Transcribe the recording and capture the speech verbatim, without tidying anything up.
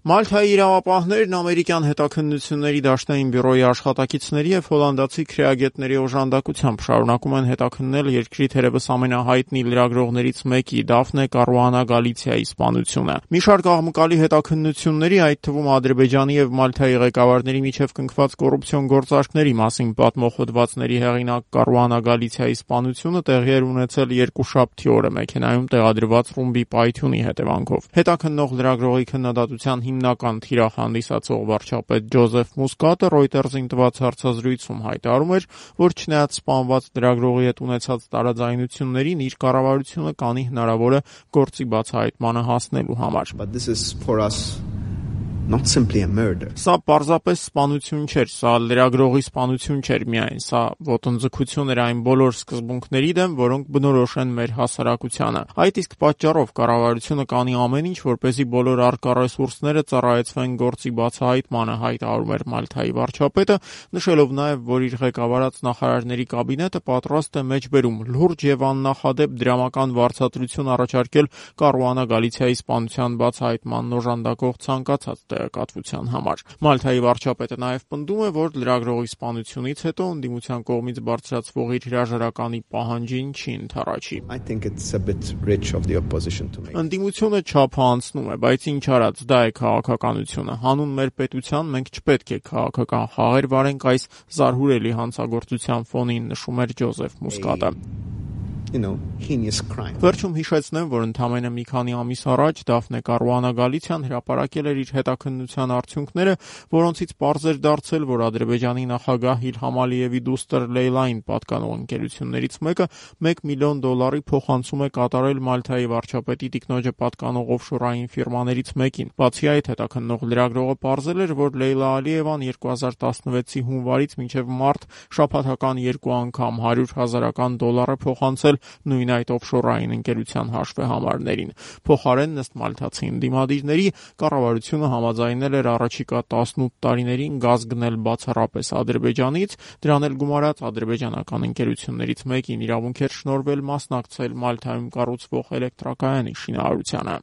Մալթայի իրավապահներն ամերիկյան հետաքննությունների դաշնային բյուրոյի աշխատակիցների և հոլանդացի քրեագետների օժանդակությամբ շարունակում են հետաքննել երկրի թերևս ամենահայտնի լրագրողներից մեկի՝ Դաֆնե Կարուանա Գալիցիայի սպանությունը։ Մի շարք աղմկալի հետաքննությունների, այդ թվում Ադրբեջանի և Մալթայի ղեկավարների միջև կնքված կոռուպցիոն գործարքների մասին պատմող հոդվածների հեղինակ Կարուանա Գալիցիայի սպանությունը տեղի էր ունեցել երկուշաբթի օրը մեքենայում տեղադրված ռումբի պայթյունի հետևանքով։ Հետաքննող լրագրողի քննադատության հիմնական թիրախ հանդիսացող վարչապետ Ջոզեֆ Մուսկատը Ռոյտերզին տված հարցազրույցում հայտարարում էր, որ չնայած սպանված լրագրողի հետ ունեցած տարաձայնություններին, իր կառավարությունը կանի հնարավորը գործի բացահայտմանը հասնելու համար։ Սա պարզապես սպանություն չէր, սա լրագրողի սպանություն չէր միայն, սա ոտնձգություն էր այն բոլոր սկզբունքների դեմ, որոնք բնորոշ են մեր հասարակությանը։ Այդ իսկ պատճառով կառավարությունը կանի ամեն ինչ, որպեսզի բոլոր առկա ռեսուրսները ծառայեցվեն գործի բացահայտմանը, հայտարարում էր Մալթայի վարչապետը, նշելով նաև, որ իր ղեկավարած նախարարների կաբինետը պատրաստ է մեջբերում լուրջ և աննախադեպ դրամական վարձատրություն առաջարկել Կարուանա Գալիցիայի սպանության բացահայտմանն օժանդակող ցանկացած տեղեկատվության համար։ Մալթայի վարչապետը նաև պնդում է, որ լրագրողի սպանությունից հետո ընդդիմության կողմից բարձրացվող իր հրաժարականի պահանջին չի ընդառաջի։ Ընդդիմությունը չափը անցնում է, բայց ինչ արած, դա է քաղաքականությունը։ Հանուն մեր պետության մենք չպետք է քաղաքական խաղեր վարենք այս զարհուրելի հանցագործության ֆոնին, նշում էր Ջոզեֆ Մուսկատը։ Վերջում հիշեցնեմ, որ ընդամենը մի քանի ամիս առաջ Դաֆնե Կարուանա Գալիցիան հրապարակել էր իր հետաքննության արդյունքները, որոնցից պարզ էր դարձել, որ Ադրբեջանի նախագահ Իլհամ Ալիևի դուստր Լեյլային պատկանող ընկերություններից մեկը մեկ միլիոն դոլարի փոխանցում է կատարել Մալթայի վարչապետի տիկնոջը պատկանող օֆշորային ֆիրմաներից մեկին։ Բացի այդ, հետաքննող լրագրողը պարզել էր, որ Լեյլա Ալիևան երկու հազար տասնվեցի հունվարից մինչև մարտ շաբաթական երկու անգամ հարյուր հազարական դոլար է փոխանցել նույն այդ օֆշորային ընկերության հաշվեհամարներին։ Փոխարենն, ըստ մալթացի ընդդիմադիրների, կառավարությունը համաձայնել էր առաջիկա տասնութ տարիներին գազ գնել բացառապես Ադրբեջանից, դրան էլ գումարած ադրբեջանական ընկերություններից մեկին իրավունք էր շնորհվել մասնակցել Մալթայում կառուցվող էլեկտրակայանի շինարարությանը։